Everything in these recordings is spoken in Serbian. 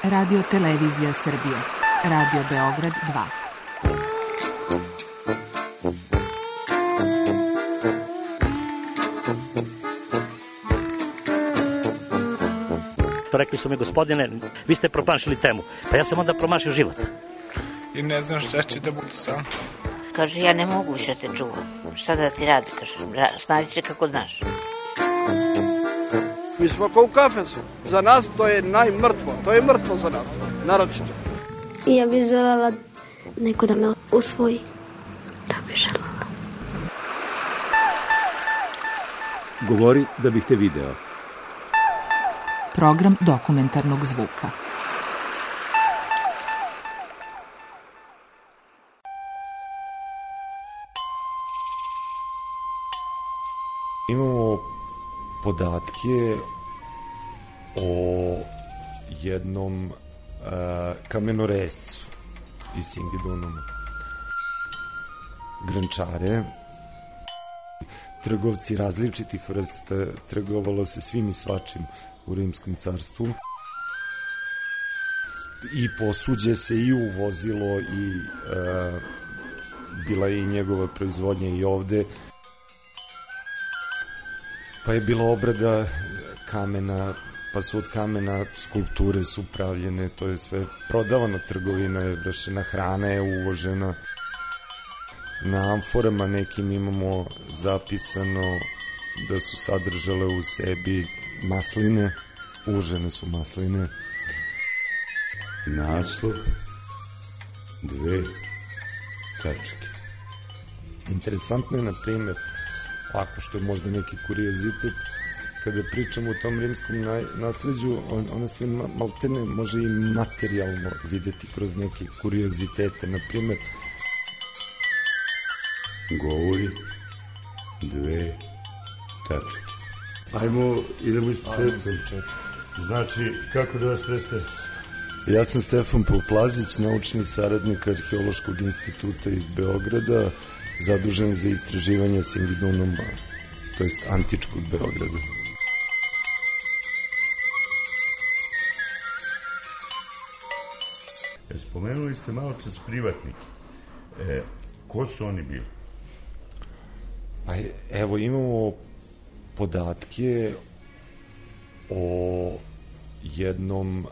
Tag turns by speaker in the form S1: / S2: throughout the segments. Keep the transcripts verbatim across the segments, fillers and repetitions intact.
S1: Radio Televizija Srbije, Radio Beograd dva.
S2: Rekli su mi, gospodine, vi ste promašili temu. Pa ja sam onda promašio život.
S3: I ne znam šta će da bude sam.
S4: Kaže, ja ne mogu više te čuvam. Šta da ti radi, kaže, snađi se kako znaš.
S5: Mi smo kao u kafesu. Za nas to je najmrtvo. To je mrtvo za nas, naročito.
S6: I ja bih želela neko da me usvoji. Da bih želela.
S7: Govori da bih te video.
S1: Program dokumentarnog zvuka.
S8: Imamo podatke o jednom uh, kamenorescu iz Singidunuma. Grančare, trgovci različitih vrsta, trgovalo se svim i svačim u Rimskom carstvu. I posuđe se i uvozilo i uh, bila je i njegova proizvodnja i ovde. Pa je bila obrada kamena, pa su od kamena skulpture su pravljene, to je sve prodavana, trgovina je vršena, hrana je uvožena. Na amforama nekim imamo zapisano da su sadržale u sebi masline, užene su masline.
S7: Naslov, dve tačke.
S8: Interesantno je, na primjer, ako što je možda neki kuriozitet, kada pričamo o tom rimskom nasleđu, on, ona se maltene može i materijalno videti kroz neke kuriozitete. Na primjer,
S7: govori dve tačke. Ajmo, idemo iz početka. Znači, kako da vas predstavim?
S8: Ja sam Stefan Poplazić, naučni saradnik Arheološkog instituta iz Beograda, zadužen za istraživanje Singidunuma, to jest antičkog Beograda.
S7: Spomenuli ste malo čas privatnike. E, ko su oni bili?
S8: Pa evo, imamo podatke o jednom uh,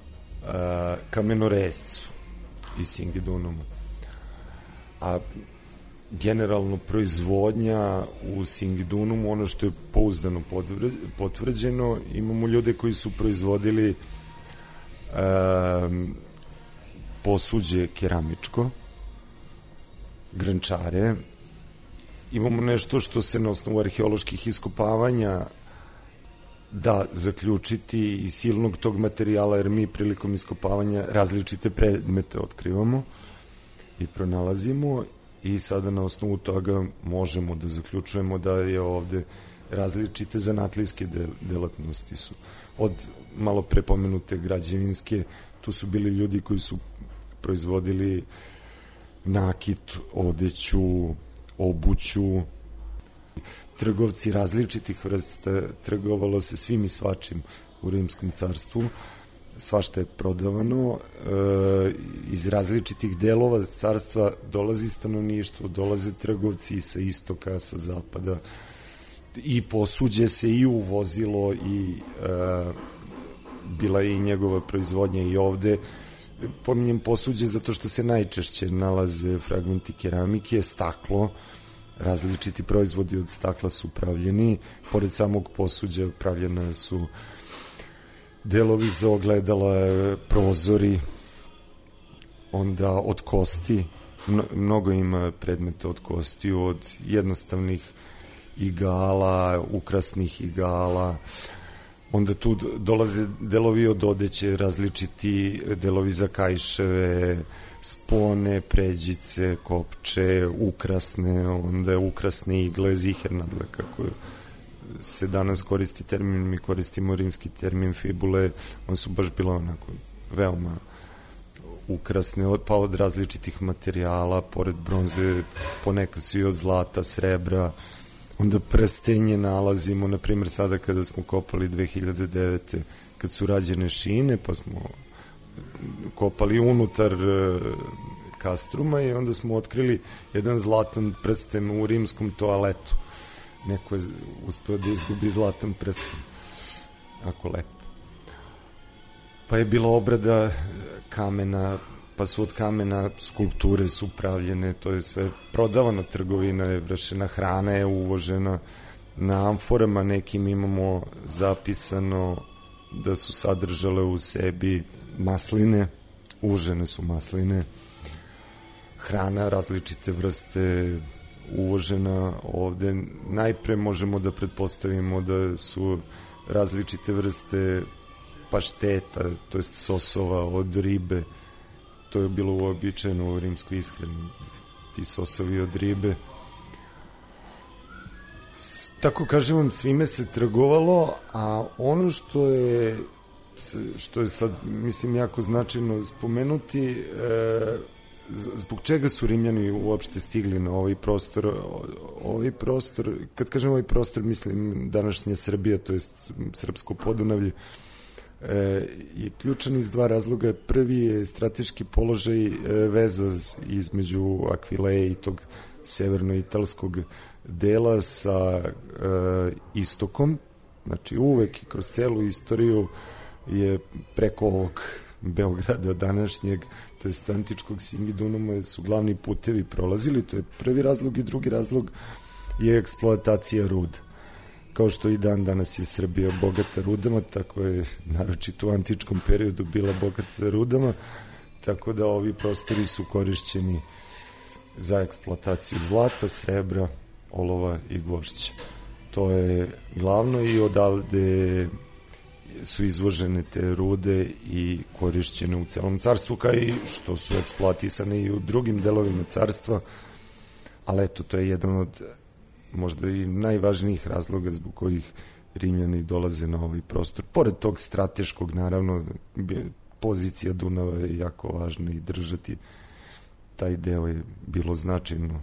S8: kamenorescu iz Singidunuma. A generalno proizvodnja u Singidunumu, ono što je pouzdano potvrđeno, imamo ljude koji su proizvodili um, posuđe keramičko, grančare. Imamo nešto što se na osnovu arheoloških iskopavanja da zaključiti iz silnog tog materijala, jer mi prilikom iskopavanja različite predmete otkrivamo i pronalazimo, i sada na osnovu toga možemo da zaključujemo da je ovde različite zanatlijske delatnosti su. Od malo pre pomenute građevinske, tu su bili ljudi koji su proizvodili nakit, odeću, obuću. Trgovci različitih vrsta, trgovalo se svim i svačim u Rimskom carstvu. Svašta je prodavano, e, iz različitih delova carstva dolazi stanovništvo, dolaze trgovci sa istoka, sa zapada, i posuđe se i uvozilo i e, bila je i njegova proizvodnja i ovde. Pominjem posuđe zato što se najčešće nalaze fragmenti keramike, staklo, različiti proizvodi od stakla su pravljeni, pored samog posuđa pravljene su delovi za ogledala, prozori, onda od kosti, mnogo ima predmeta od kosti, od jednostavnih igala, ukrasnih igala, onda tu dolaze delovi od odeće, različiti delovi za kaiševe, spone, pređice, kopče, ukrasne, onda ukrasne igle, zihernadle, kako se danas koristi termin, mi koristimo rimski termin fibule, one su baš bila onako veoma ukrasne, pa od različitih materijala, pored bronze, ponekad su i od zlata, srebra, onda prstenje nalazimo, na primjer sada kada smo kopali dve hiljade devete, kad su rađene šine, pa smo kopali unutar kastruma i onda smo otkrili jedan zlatan prsten u rimskom toaletu. Neko je uspeo da izgubi zlatan prsten. Ako lepo. Pa je bila obrada kamena, pa su od kamena skulpture su pravljene, to je sve prodavano, trgovina je vršena, hrana je uvožena, na amforama nekim imamo zapisano da su sadržale u sebi masline, uvožene su masline, hrana različite vrste uvožena ovde. Najpre možemo da pretpostavimo da su različite vrste pašteta, to jest sosova od ribe, to je bilo uobičajeno u rimskoj ishrani, ti sosovi od ribe. Tako kažem vam, svime se trgovalo, a ono što je što je sad, mislim, jako značajno spomenuti, e, zbog čega su Rimljani uopšte stigli na ovaj prostor. Ovaj prostor, kad kažem ovaj prostor, mislim današnja Srbija, to jest Srpsko Podunavlje, e, je ključan iz dva razloga. Prvi je strateški položaj, e, veza između Akvileje i tog severno-italskog dela sa e, istokom. Znači uvek i kroz celu istoriju je preko ovog Beograda današnjeg, to jest antičkog Singidunuma, su glavni putevi prolazili. To je prvi razlog, i drugi razlog je eksploatacija ruda. Kao što i dan danas je Srbija bogata rudama, tako je naročito u antičkom periodu bila bogata rudama, tako da ovi prostori su korišćeni za eksploataciju zlata, srebra, olova i gvožđa. To je glavno i odavde su izvožene te rude i korišćene u celom carstvu, kao i što su eksploatisane i u drugim delovima carstva, ali eto, to je jedan od možda i najvažnijih razloga zbog kojih Rimljani dolaze na ovaj prostor. Pored tog strateškog, naravno, pozicija Dunava je jako važna i držati taj deo je bilo značajno,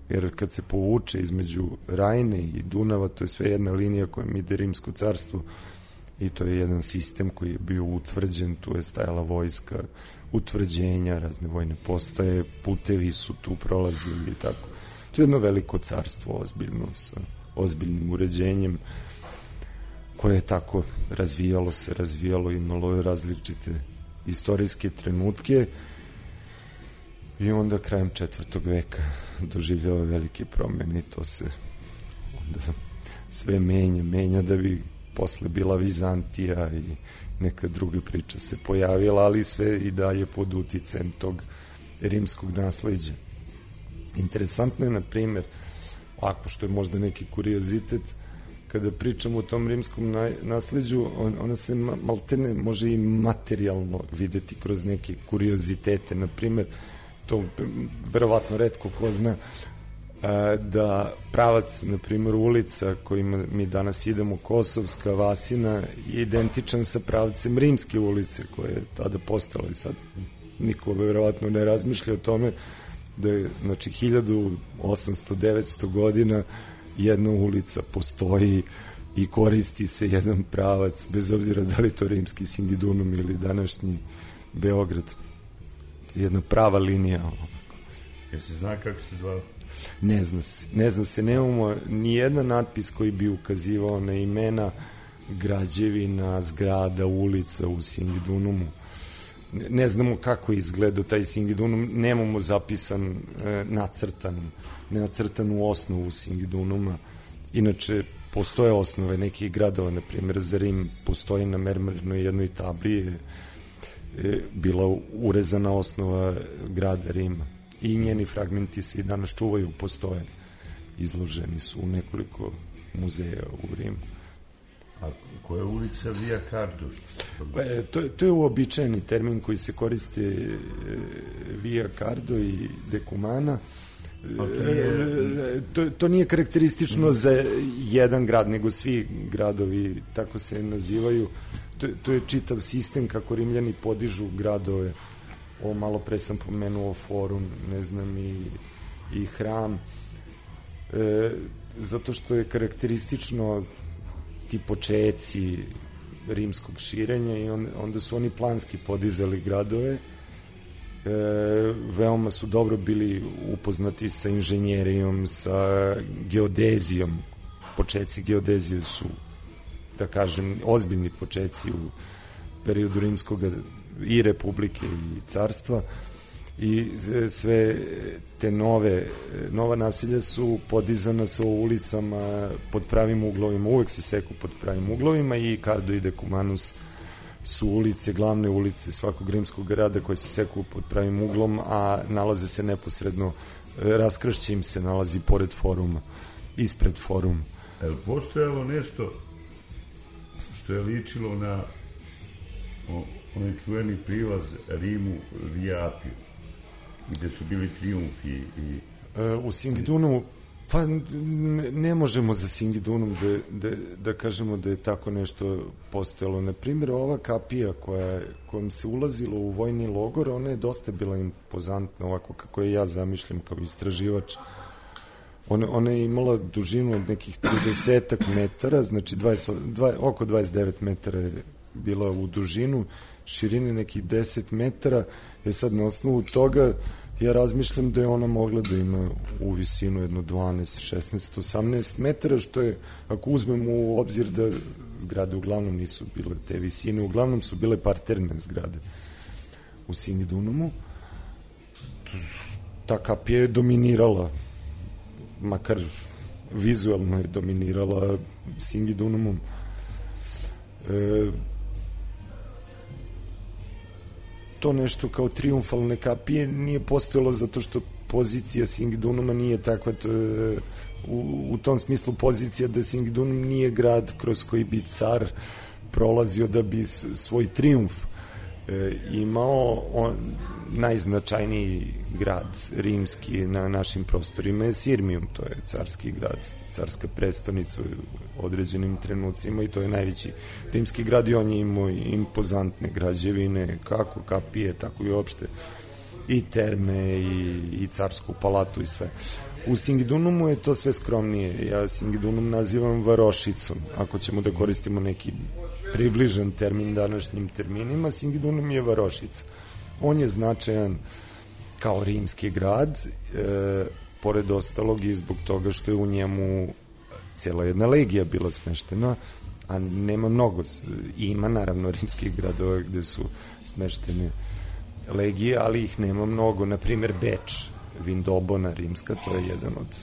S8: jer kad se povuče između Rajne i Dunava, to je sve jedna linija koja ide Rimsko carstvo, i to je jedan sistem koji je bio utvrđen, tu je stajala vojska, utvrđenja, razne vojne postaje, putevi su tu prolazili i tako. To je jedno veliko carstvo, ozbiljno, sa ozbiljnim uređenjem, koje je tako razvijalo se, razvijalo, imalo je različite istorijske trenutke, i onda krajem četvrtog veka doživljava velike promene i to se onda sve menja, menja da bi posle bila Vizantija i neka druga priča se pojavila, ali sve i dalje pod uticajem tog rimskog nasleđa. Interesantno je, na primjer, ako što je možda neki kuriozitet, kada pričamo o tom rimskom nasleđu, on, ona se maltene može i materijalno videti kroz neke kuriozitete. Na primjer, to verovatno retko ko zna, da pravac, na primjer, ulica kojima mi danas idemo, Kosovska, Vasina, je identičan sa pravcem Rimske ulice, koja je tada postala, i sad niko verovatno ne razmišlja o tome da je, znači, hiljadu osamsto devetsto godina jedna ulica postoji i koristi se jedan pravac, bez obzira da li to rimski Singidunum ili današnji Beograd. Jedna prava linija.
S7: Jel se zna kako se zvao?
S8: Ne zna se, ne zna se, nemamo ni jedan natpis koji bi ukazivao na imena građevina, zgrada, ulica u Singidunumu. Ne, ne znamo kako je izgledao taj Singidunum, nemamo zapisan, e, nacrtan, nacrtan u osnovu Singidunuma. Inače, postoje osnove nekih gradova, na primjer za Rim postoji na mermernoj jednoj tabli je, je bila urezana osnova grada Rima. I njeni fragmenti se i danas čuvaju, postoje. Izloženi su u nekoliko muzeja u Rimu.
S7: A koja je ulica Via Cardo?
S8: E, to, to je uobičajeni termin koji se koriste, e, Via Cardo i Decumana.
S7: To, nije...
S8: E, to, to nije karakteristično mm. za jedan grad, nego svi gradovi tako se nazivaju. To, to je čitav sistem kako Rimljani podižu gradove. Ovo malo pre sam pomenuo forum, ne znam, i, i hram, e, zato što je karakteristično ti počeci rimskog širenja i on, onda su oni planski podizali gradove. E, veoma su dobro bili upoznati sa inženjerijom, sa geodezijom. Počeci geodezije su, da kažem, ozbiljni počeci u periodu rimskog i republike i carstva, i sve te nove nova naselja su podizana sa ulicama pod pravim uglovima, uvek se seku pod pravim uglovima, i Cardo i Decumanus su ulice, glavne ulice svakog rimskog grada koje se seku pod pravim uglom, a nalaze se neposredno, raskršće im se nalazi pored foruma, ispred foruma.
S7: Je li postojalo nešto što je ličilo na onaj čuveni prilaz Rimu Via Apio, gde su bili trijumfi i...
S8: E, u Singidunu, pa ne, ne možemo za Singidunum da, da, da kažemo da je tako nešto postojalo. Na primjer, ova kapija koja, kojom se ulazilo u vojni logor, ona je dosta bila impozantna, ovako kako je ja zamišljam kao istraživač. Ona, ona je imala dužinu od nekih trideset metara, znači dvadeset, dvadeset, oko dvadeset devet metara je bila u dužinu, širine nekih deset metara. Je sad na osnovu toga ja razmišljam da je ona mogla da ima u visinu jedno dvanaest, šesnaest, osamnaest metara, što je, ako uzmemo u obzir da zgrade uglavnom nisu bile te visine, uglavnom su bile parterne zgrade u Singidunumu, ta kapija je dominirala, makar vizualno je dominirala Singidunumom. E, to nešto kao triumfalne kapije nije postojalo zato što pozicija Singidunuma nije takva, to, u, u tom smislu pozicija da Singidunum nije grad kroz koji bi car prolazio da bi svoj triumf e, imao. On, najznačajniji grad rimski na našim prostorima je Sirmium, to je carski grad, carska prestonica u određenim trenucima, i to je najveći rimski grad, i on je imao impozantne građevine, kako kapije, tako i uopšte i terme i, i carsku palatu i sve. U Singidunumu je to sve skromnije. Ja Singidunum nazivam varošicom, ako ćemo da koristimo neki približan termin današnjim terminima. Singidunum je varošica. On je značajan kao rimski grad, e, pored ostalog i zbog toga što je u njemu cijela jedna legija bila smeštena, a nema mnogo. Ima naravno rimskih gradova gde su smeštene legije, ali ih nema mnogo. Naprimer Beč, Vindobona rimska, to je jedan od,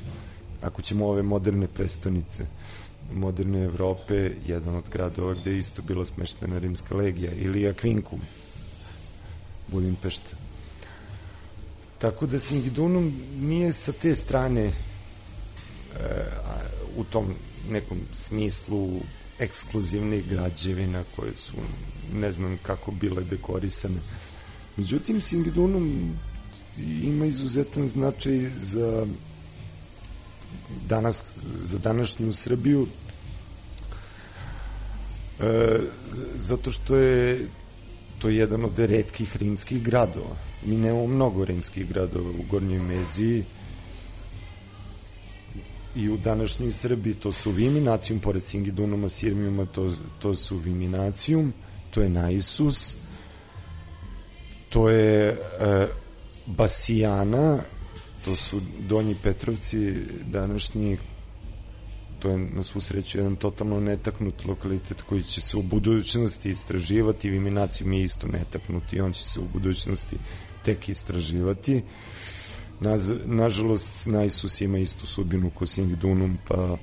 S8: ako ćemo ove moderne prestonice moderne Evrope, jedan od gradova gde je isto bila smeštena rimska legija, ili Aquincum, Budimpešta. Tako da Singidunum nije sa te strane e, u tom nekom smislu ekskluzivnih građevina koje su ne znam kako bile dekorisane. Međutim, Singidunum ima izuzetan značaj za danas, za današnju Srbiju, e, zato što je to je jedan od retkih rimskih gradova. Mi nemamo mnogo rimskih gradova u Gornjoj Meziji i u današnjoj Srbiji. To su Viminacijum, pored Singidunuma, Sirmijuma, to, to su Viminacijum, to je Naisus, to je e, Basijana, to su Donji Petrovci današnji. To je na svu sreću jedan totalno netaknut lokalitet koji će se u budućnosti istraživati. Viminacijum je isto netaknut i on će se u budućnosti tek istraživati. Naz, nažalost, Naisus ima istu sudbinu ko Singidunum, pa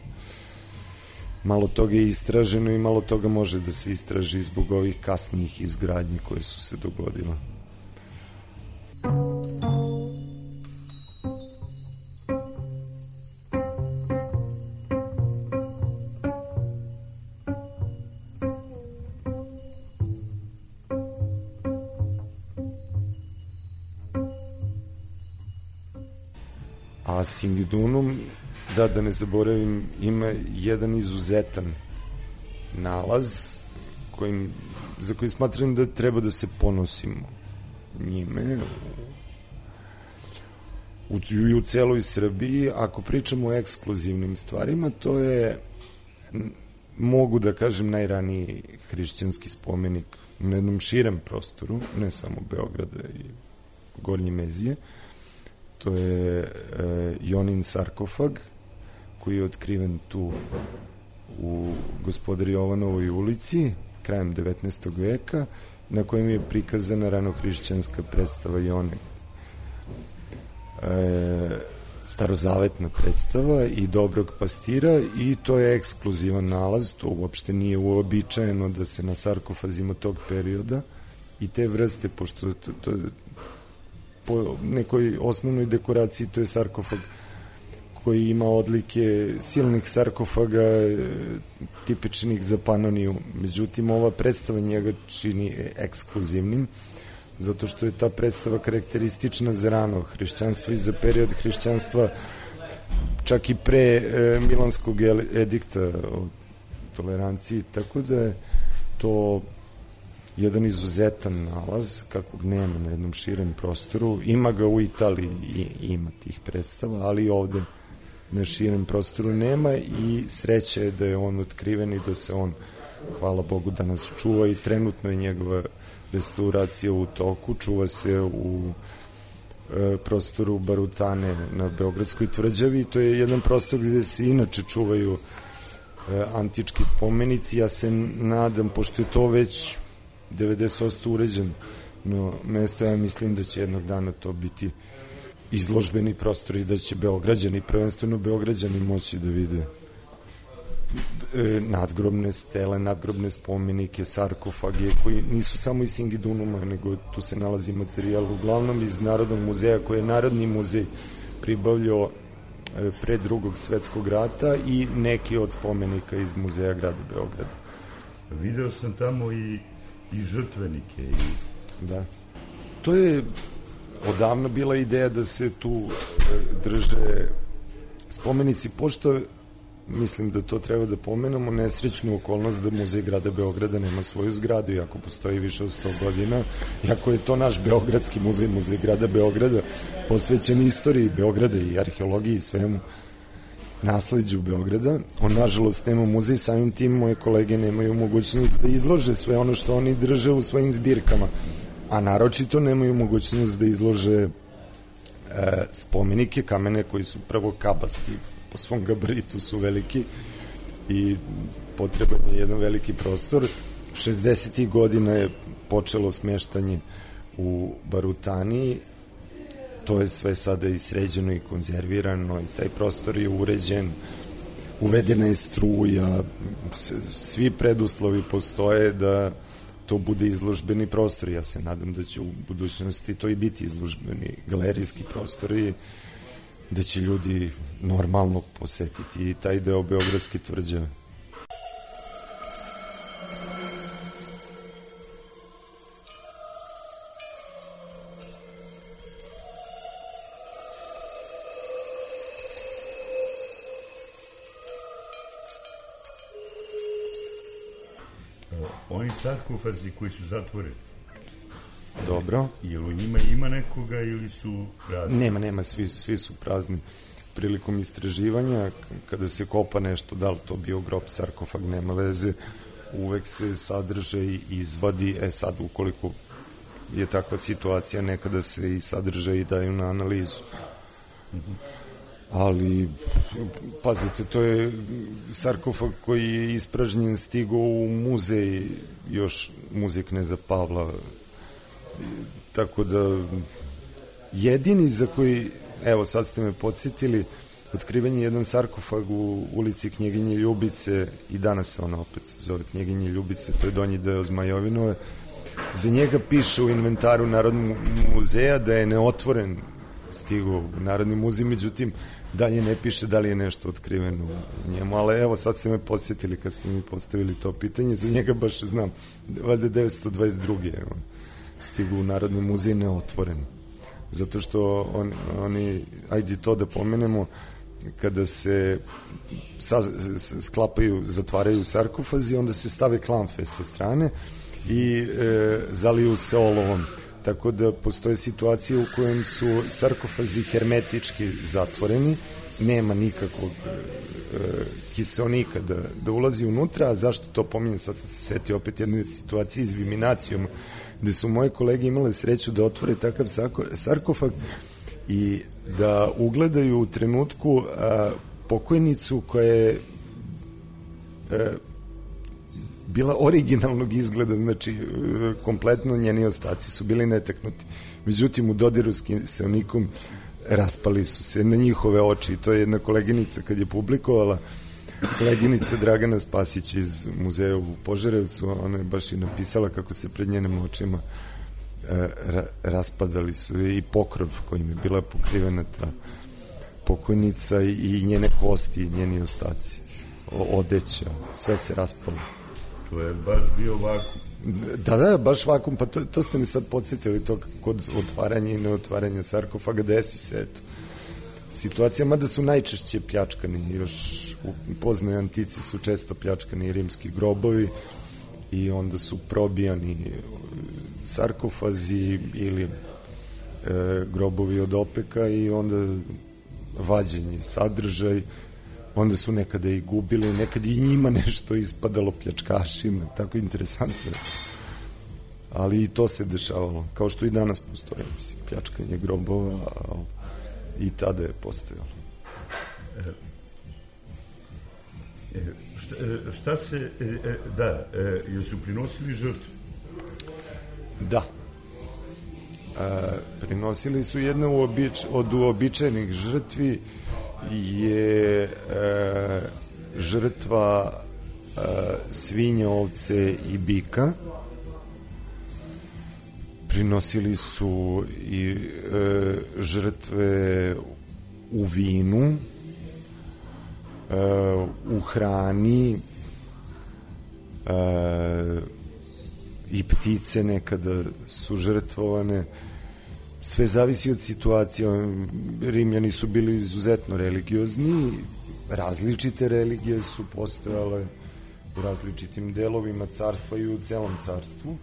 S8: malo toga je istraženo i malo toga može da se istraži zbog ovih kasnijih izgradnji koje su se dogodile. A Singidunum, da, da ne zaboravim, ima jedan izuzetan nalaz kojim, za koji smatram da treba da se ponosimo njime u, i u celoj Srbiji. Ako pričamo o ekskluzivnim stvarima, to je mogu da kažem najraniji hrišćanski spomenik na jednom širem prostoru, ne samo Beograda i Gornje Mezije. To je e, Jonin sarkofag koji je otkriven tu u Gospodari Jovanovoj ulici krajem devetnaestog veka, na kojem je prikazana ranohrišćanska predstava Jone. E, starozavetna predstava i Dobrog pastira, i to je ekskluzivan nalaz, to uopšte nije uobičajeno da se na sarkofazima tog perioda i te vrste, pošto to, to, po nekoj osnovnoj dekoraciji to je sarkofag koji ima odlike silnih sarkofaga tipičnih za Panoniju. Međutim, ova predstava njega čini ekskluzivnim, zato što je ta predstava karakteristična za rano hrišćanstvo i za period hrišćanstva, čak i pre e, Milanskog edikta o toleranciji, tako da je to jedan izuzetan nalaz, kakvog nema na jednom širem prostoru. Ima ga u Italiji i ima tih predstava, ali ovde na širem prostoru nema, i sreća je da je on otkriven i da se on, hvala Bogu, danas čuva, i trenutno je njegova restauracija u toku. Čuva se u e, prostoru Barutane na Beogradskoj tvrđavi. To je jedan prostor gde se inače čuvaju e, antički spomenici. Ja se nadam, pošto je to već devedeset posto uređen no mesto, ja mislim da će jednog dana to biti izložbeni prostor i da će Beograđani, prvenstveno Beograđani, moći da vide e, nadgrobne stele, nadgrobne spomenike, sarkofage, koji nisu samo iz Singidunuma, nego tu se nalazi materijal uglavnom iz Narodnog muzeja, koji je Narodni muzej pribavljao e, pre drugog svetskog rata, i neki od spomenika iz muzeja grada Beograda.
S7: Video sam tamo i, i žrtvenike. I...
S8: Da. To je odavno bila ideja da se tu drže spomenici, pošto mislim da to treba da pomenemo, nesrećnu okolnost da Muzej grada Beograda nema svoju zgradu, iako postoji više od sto godina, iako je to naš Beogradski muzej, Muzej grada Beograda, posvećen istoriji Beograda i arheologiji i svemu nasleđu Beograda. On, nažalost, nema muzej, samim tim moje kolege nemaju mogućnost da izlože sve ono što oni drže u svojim zbirkama, a naročito nemaju mogućnost da izlože e, spomenike, kamene koji su prvo kabasti, po svom gabaritu su veliki i potreban je jedan veliki prostor. šezdesetih godina je počelo smeštanje u Barutani, to je sve sada i sređeno i konzervirano, i taj prostor je uređen, uvedena je struja, svi preduslovi postoje da to bude izložbeni prostor. Ja se nadam da će u budućnosti to i biti izložbeni galerijski prostor i da će ljudi normalno posetiti i taj deo Beogradske tvrđave.
S7: Oni sarkofazi koji su zatvoreni.
S8: Dobro.
S7: Jel u njima ima nekoga ili su prazni?
S8: Nema, nema, svi, svi su prazni. Prilikom istraživanja, kada se kopa nešto, da li to bio grob, sarkofag, nema veze, uvek se sadržaj izvadi. E sad, ukoliko je takva situacija, nekada se i sadržaj daju na analizu. Mm-hmm. Ali, pazite, to je sarkofag koji je ispražnjen, stigao u muzej, još muzej Kneza Pavla, tako da jedini za koji, evo sad ste me podsjetili, otkriven je jedan sarkofag u ulici Knjeginje Ljubice, i danas se ona opet zove Knjeginje Ljubice, to je donji deo Zmajovinove. Za njega piše u inventaru Narodnog muzeja da je neotvoren, stigao u Narodni muzej, međutim dalje ne piše da li je nešto otkriveno u njemu, ali evo sad ste me podsjetili kad ste mi postavili to pitanje, za njega baš znam, valjda devetsto dvadeset druge evo, stigu u Narodni muzej neotvoren, zato što on, oni, ajde to da pomenemo, kada se sa, sklapaju, zatvaraju sarkofazi, onda se stave klamfe sa strane i e, zaliju se olovom, tako da postoje situacije u kojem su sarkofazi hermetički zatvoreni nema nikakvog e, kiseonika da, da ulazi unutra. A zašto to pominjem? Sad sam se setio opet jedne situacije s Viminacijom, gde su moje kolege imale sreću da otvore takav sarkofag i da ugledaju u trenutku a, pokojnicu koja je a, bila originalnog izgleda, znači a, kompletno njeni ostaci su bili netaknuti. Međutim, u dodiru s kiseonikom raspali su se na njihove oči i to je jedna koleginica kad je publikovala, koleginica Dragana Spasić iz muzeja u Požarevcu, ona je baš i napisala kako se pred njenim očima e, ra, raspadali su i pokrov kojim je bila pokrivena ta pokojnica i, i njene kosti i njeni ostaci, o, odeća, sve se raspalo.
S7: To je baš bio vakum.
S8: Da, da, baš vakum, pa to, to ste mi sad podsjetili to kod otvaranja i neotvaranja sarkofaga, desi se, eto. Situacija, mada su najčešće pljačkani, još u poznoj antici su često pljačkani rimski grobovi i onda su probijani sarkofazi ili e, grobovi od opeka i onda vađenje sadržaj, onda su nekada i gubili, nekada i njima nešto ispadalo pljačkašima, tako interesantno. Ali i to se dešavalo, kao što i danas postoje, mislim, pljačkanje grobova, ali i tada je postojalo.
S7: E, e, šta, šta se, e, e, da, e, jesu prinosili žrtve?
S8: Da. E, prinosili su jedna uobič, od uobičajenih žrtvi je e, žrtva e, svinja, ovce i bika. Prinosili su i e, žrtve u vinu, e, u hrani, e, i ptice nekada su žrtvovane. Sve zavisi od situacije. Rimljani su bili izuzetno religiozni, različite religije su postojale u različitim delovima carstva i u celom carstvu.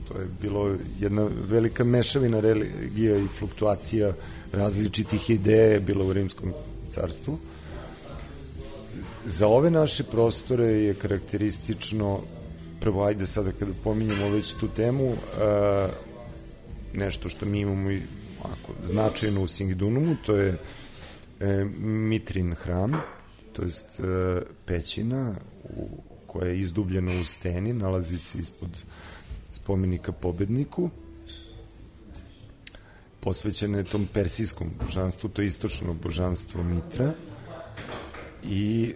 S8: To je bilo jedna velika mešavina religija i fluktuacija različitih ideja je bila u Rimskom carstvu. Za ove naše prostore je karakteristično, prvo, ajde sada kada pominjemo već tu temu, a, nešto što mi imamo i ako, značajno u Singidunum, to je e, Mitrin hram, to jest e, pećina u, koja je izdubljena u steni, nalazi se ispod spomenika pobedniku, posvećena je tom persijskom božanstvu, to je istočno božanstvo Mitra, i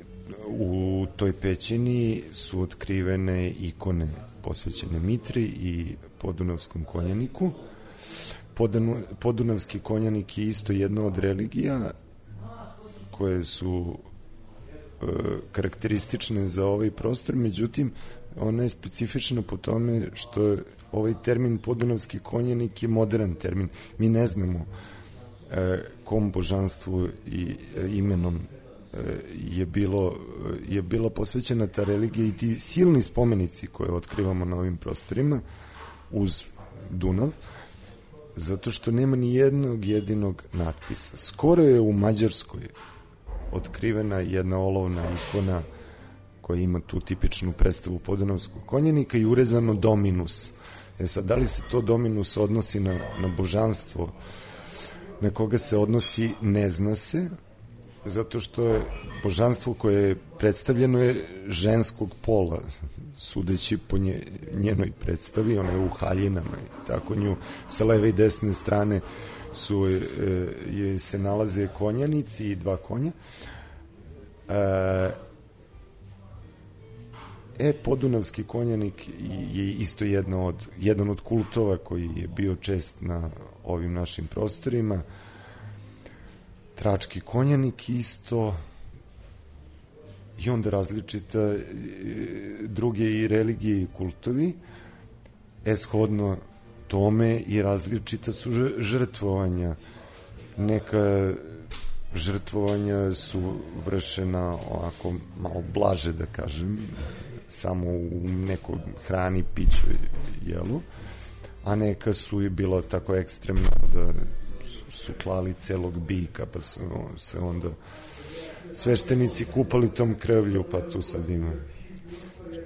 S8: u toj pećini su otkrivene ikone posvećene Mitri i Podunavskom konjaniku. Podunu, Podunavski konjanik je isto jedna od religija koje su e, karakteristične za ovaj prostor, međutim ona je specifična po tome što je ovaj termin Podunavski konjanik je modern termin. Mi ne znamo e, kom božanstvu i e, imenom e, je bilo je bila posvećena ta religija i ti silni spomenici koje otkrivamo na ovim prostorima uz Dunav, zato što nema ni jednog jedinog natpisa. Skoro je u Mađarskoj otkrivena jedna olovna ikona koja ima tu tipičnu predstavu Podunavskog konjanika i urezano Dominus. E sad, da li se to Dominus odnosi na, na božanstvo na koga se odnosi, ne zna se, zato što je božanstvo koje je predstavljeno je ženskog pola, sudeći po nje, njenoj predstavi, ona je u haljinama i tako, nju sa leve i desne strane su, e, je, se nalaze konjanici i dva konja. E, e Podunavski konjanik je isto jedna od, jedan od kultova koji je bio čest na ovim našim prostorima. Trački konjanik isto, i onda različita druge i religije i kultovi, eshodno tome i različita su žrtvovanja. Neka žrtvovanja su vršena ovako malo blaže, da kažem, samo u nekoj hrani, piću, jelu, a neka su i bila tako ekstremna da su su klali celog bika, pa su se onda sveštenici kupali tom krvlju, pa tu sad ima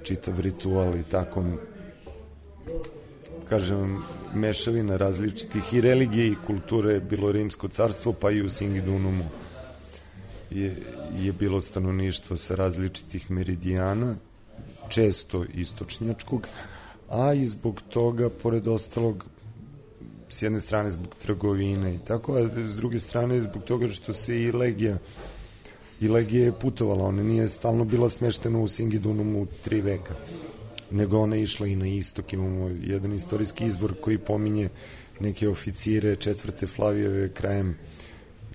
S8: čitav ritual i tako, kažem, mešavina različitih i religije i kulture je bilo Rimsko carstvo, pa i u Singidunumu je, je bilo stanovništvo sa različitih meridijana, često istočnjačkog, a i zbog toga, pored ostalog, s jedne strane zbog trgovine i tako, a s druge strane zbog toga što se i legija i legija je putovala, ona nije stalno bila smeštena u Singidunumu tri veka, nego ona je išla i na istok. Imamo jedan istorijski izvor koji pominje neke oficire četvrte Flavijeve krajem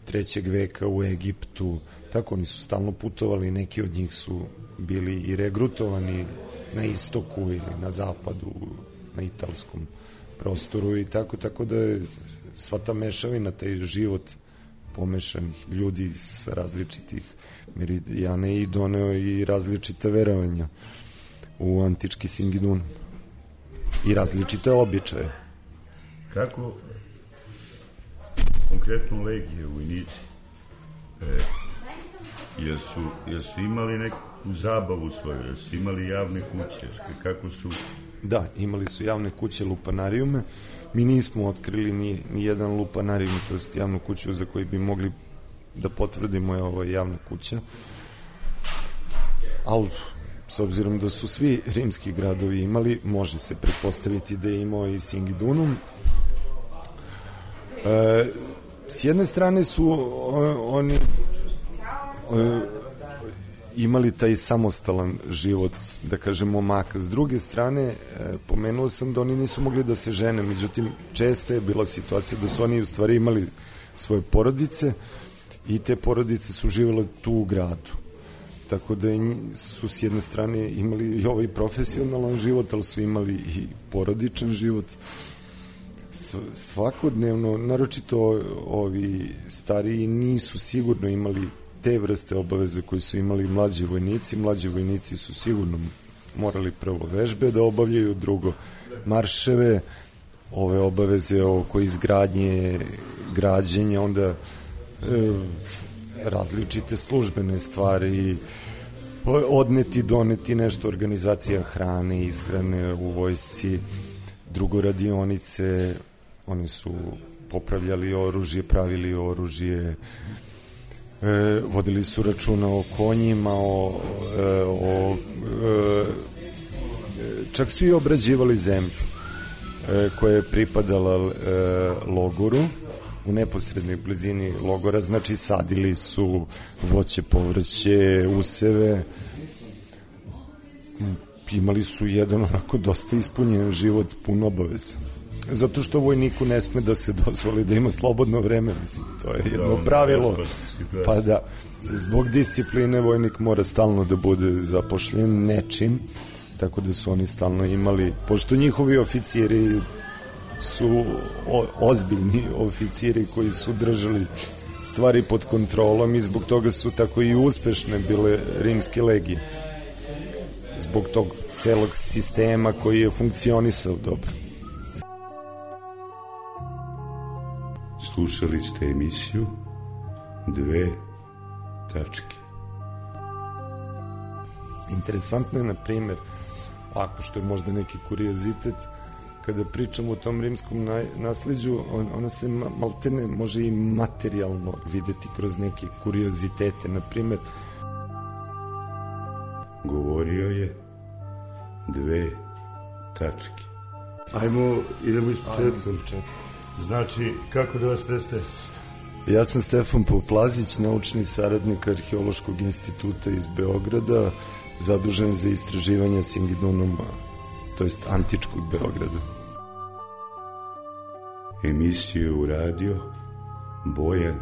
S8: trećeg veka u Egiptu, tako oni su stalno putovali, neki od njih su bili i regrutovani na istoku ili na zapadu, na italskom prostoru i tako, tako da je sva ta mešavina, taj život pomešanih ljudi sa različitih meridijana i doneo i različita verovanja u antički Singidunum i različite običaje.
S7: Kako konkretno legije, vojnici, e, jesu, jesu imali neku zabavu svoju, jesu imali javne kuće, kako su...
S8: Da, imali su javne kuće, lupanarijume. Mi nismo otkrili ni, ni jedan lupanarijum, to jest javnu kuću za koju bi mogli da potvrdimo je ovo javna kuća. Ali, s obzirom da su svi rimski gradovi imali, može se pretpostaviti da je imao i Singidunum. E, s jedne strane su o, oni o, imali taj samostalan život, da kažemo, maka. S druge strane, e, pomenuo sam da oni nisu mogli da se žene, međutim, česta je bila situacija da su oni u stvari imali svoje porodice i te porodice su živjele tu u gradu. Tako da su s jedne strane imali i ovaj profesionalan život, ali su imali i porodičan život. Svakodnevno, naročito ovi stariji, nisu sigurno imali te vrste obaveze koje su imali mlađi vojnici. Mlađi vojnici su sigurno morali prvo vežbe da obavljaju, drugo marševe, ove obaveze oko izgradnje, građenja, onda e, različite službene stvari, odneti, doneti nešto, organizacija hrane, ishrane u vojsci, drugo radionice, oni su popravljali oružje, pravili oružje, e, vodili su računa o konjima, o, e, o e, čak su i obrađivali zemlju e, koja je pripadala e, logoru, u neposrednoj blizini logora, znači sadili su voće, povrće, useve, imali su jedan onako dosta ispunjen život, pun obaveza. Zato što vojniku ne sme da se dozvoli da ima slobodno vreme, mislim, to je jedno pravilo, pa da, zbog discipline vojnik mora stalno da bude zapošljen nečim, tako da su oni stalno imali, pošto njihovi oficiri su o, ozbiljni oficiri koji su držali stvari pod kontrolom i zbog toga su tako i uspešne bile rimske legije. Zbog tog celog sistema koji je funkcionisao dobro.
S7: Slušali ste emisiju Dve tačke.
S8: Interesantno je, na primjer, ako što je možda neki kuriozitet, kada pričamo o tom rimskom nasleđu, on, ona se maltene može i materijalno videti kroz neke kuriozitete. Na primjer,
S7: govorio je dve tačke. Ajmo, idemo iz početka. Znači, kako da vas predstaje?
S8: Ja sam Stefan Poplazić, naučni saradnik Arheološkog instituta iz Beograda, zadužen za istraživanje Singidunuma, to jest antičkog Beograda.
S7: Emisiju uradio Bojan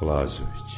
S7: Lazović.